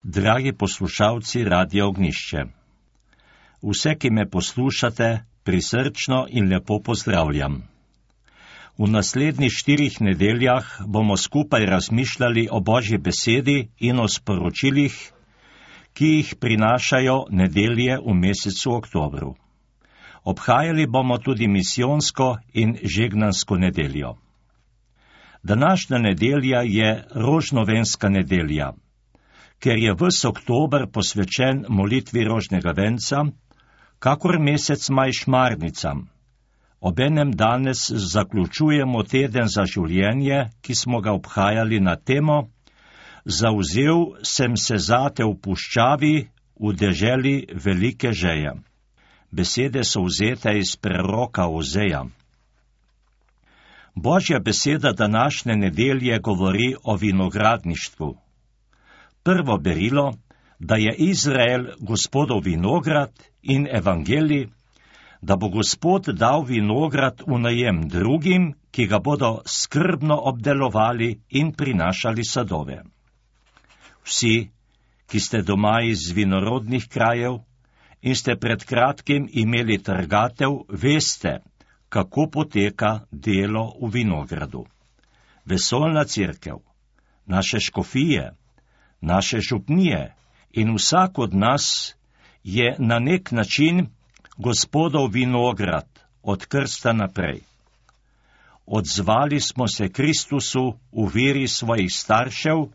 Dragi poslušalci Radia Ognjišče, vse, ki me poslušate, prisrčno in lepo pozdravljam. V naslednjih 4 nedeljah bomo skupaj razmišljali o Božji besedi in o sporočilih, ki jih prinašajo nedelje v mesecu oktobru. Obhajali bomo tudi misijonsko in žegnansko nedeljo. Današnja nedelja je rožnovenska nedelja, ker je ves oktober posvečen molitvi rožnega venca, kakor mesec maj šmarnicam. Obenem danes zaključujemo teden za življenje, ki smo ga obhajali na temo Zavzel sem se zate v puščavi, v deželi velike žeje. Besede so vzete iz preroka Ozeja. Božja beseda današnje nedelje govori o vinogradništvu. Prvo berilo, da je Izrael Gospodov vinograd in evangelij, da bo Gospod dal vinograd v najem drugim, ki ga bodo skrbno obdelovali in prinašali sadove. Vsi, ki ste doma iz vinorodnih krajev in ste pred kratkim imeli trgatev, veste, kako poteka delo v vinogradu. Vesoljna cerkev, naše škofije, naše župnije in vsak od nas je na nek način Gospodov vinograd od krsta naprej. Odzvali smo se Kristusu v veri svojih staršev,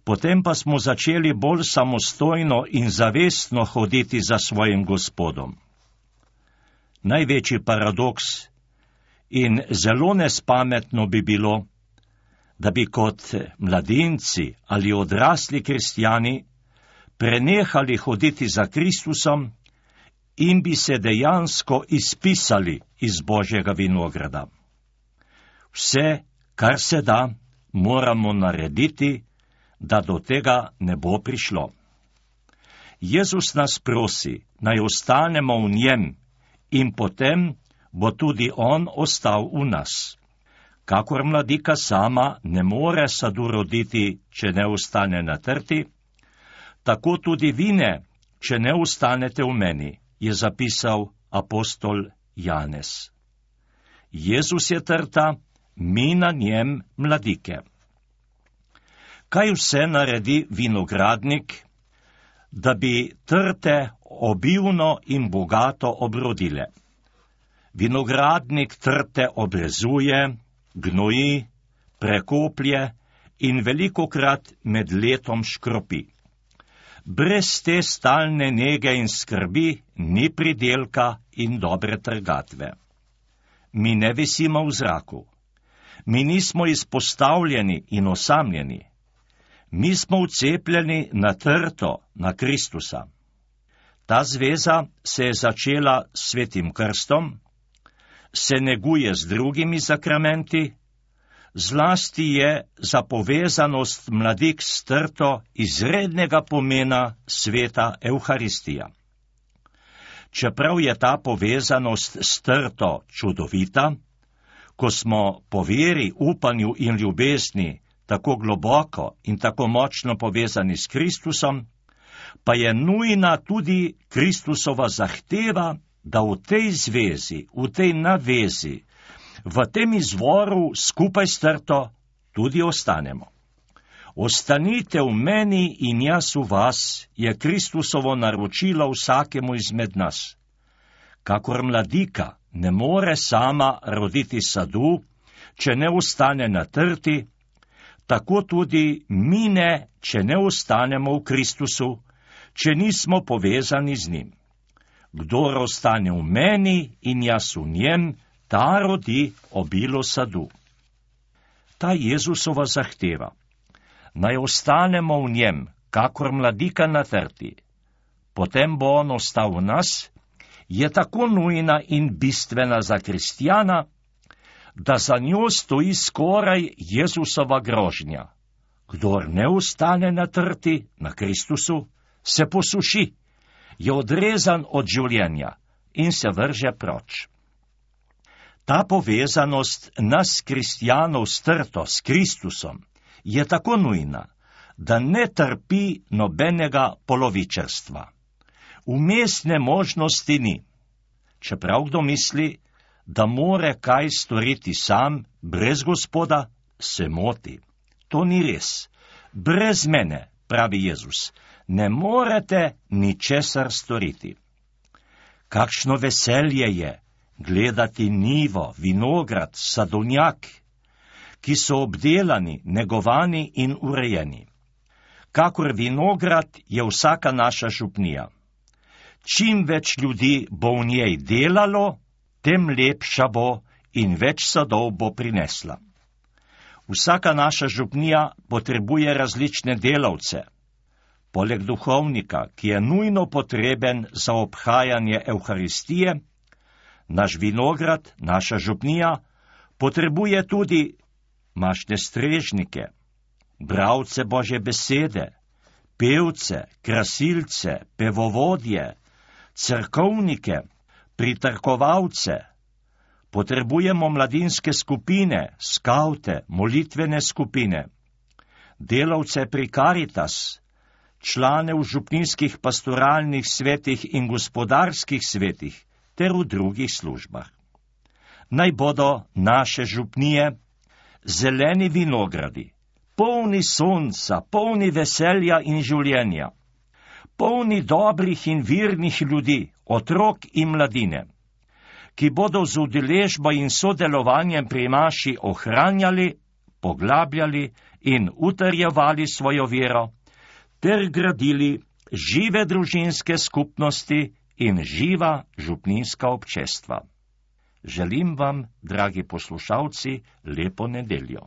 potem pa smo začeli bolj samostojno in zavestno hoditi za svojim Gospodom. Največji paradoks in zelo nespametno bi bilo, da bi kot mladinci ali odrasli kristjani prenehali hoditi za Kristusom in bi se dejansko izpisali iz Božjega vinograda. Vse, kar se da, moramo narediti, da do tega ne bo prišlo. Jezus nas prosi, naj ostanemo v njem in potem bo tudi on ostal v nas. Kakor mladika sama ne more sadu roditi, če ne ostane na trti, tako tudi vi ne, če ne ostanete v meni, je zapisal apostol Janez. Jezus je trta, mi na njem mladike. Kaj vse naredi vinogradnik, da bi trte obilno in bogato obrodile? Vinogradnik trte obrezuje, gnoji, prekoplje in velikokrat med letom škropi. Brez te stalne nege in skrbi ni pridelka in dobre trgatve. Mi ne visimo v zraku. Mi nismo izpostavljeni in osamljeni. Mi smo vcepljeni na trto, na Kristusa. Ta zveza se je začela s svetim krstom, se neguje z drugimi sakramenti, zlasti je za povezanost mladik s trto izrednega pomena sveta Evharistija. Čeprav je ta povezanost s trto čudovita, ko smo po veri, upanju in ljubezni tako globoko in tako močno povezani s Kristusom, pa je nujna tudi Kristusova zahteva, da v tej zvezi, v tej navezi, v tem izvoru skupaj s trto tudi ostanemo. Ostanite v meni in jaz v vas, je Kristusovo naročilo vsakemu izmed nas. Kakor mladika ne more sama roditi sadu, če ne ostane na trti, tako tudi mi ne, če ne ostanemo v Kristusu, če nismo povezani z njim. Kdor ostane v meni in jaz v njem, ta rodi obilo sadu. Ta Jezusova zahteva, naj ostanemo v njem, kakor mladika na trti, potem bo on ostal v nas, je tako nujna in bistvena za kristjana, da za njo stoji skoraj Jezusova grožnja. Kdor ne ostane na trti, na Kristusu, se posuši, je odrezan od življenja in se vrže proč. Ta povezanost nas kristjanov s trto, s Kristusom, je tako nujna, da ne trpi nobenega polovičarstva. Vmesne možnosti ni. Čeprav kdo misli, da more kaj storiti sam, brez Gospoda, se moti. To ni res. Brez mene, pravi Jezus, ne morete ničesar storiti. Kakšno veselje je gledati njivo, vinograd, sadovnjak, ki so obdelani, negovani in urejeni. Kakor vinograd je vsaka naša župnija. Čim več ljudi bo v njej delalo, tem lepša bo in več sadov bo prinesla. Vsaka naša župnija potrebuje različne delavce. Poleg duhovnika, ki je nujno potreben za obhajanje Evharistije, naš vinograd, naša župnija, potrebuje tudi mašne strežnike, bralce Božje besede, pevce, krasilce, pevovodje, cerkovnike, pritrkovalce. Potrebujemo mladinske skupine, skavte, molitvene skupine, delavce pri Karitas, člane v župnijskih pastoralnih svetih in gospodarskih svetih ter v drugih službah. Naj bodo naše župnije zeleni vinogradi, polni sonca, polni veselja in življenja, polni dobrih in virnih ljudi, otrok in mladine, ki bodo z udeležbo in sodelovanjem pri maši ohranjali, poglabljali in utrjevali svojo vero, ter gradili žive družinske skupnosti in živa župninska občestva. Želim vam, dragi poslušalci, lepo nedeljo.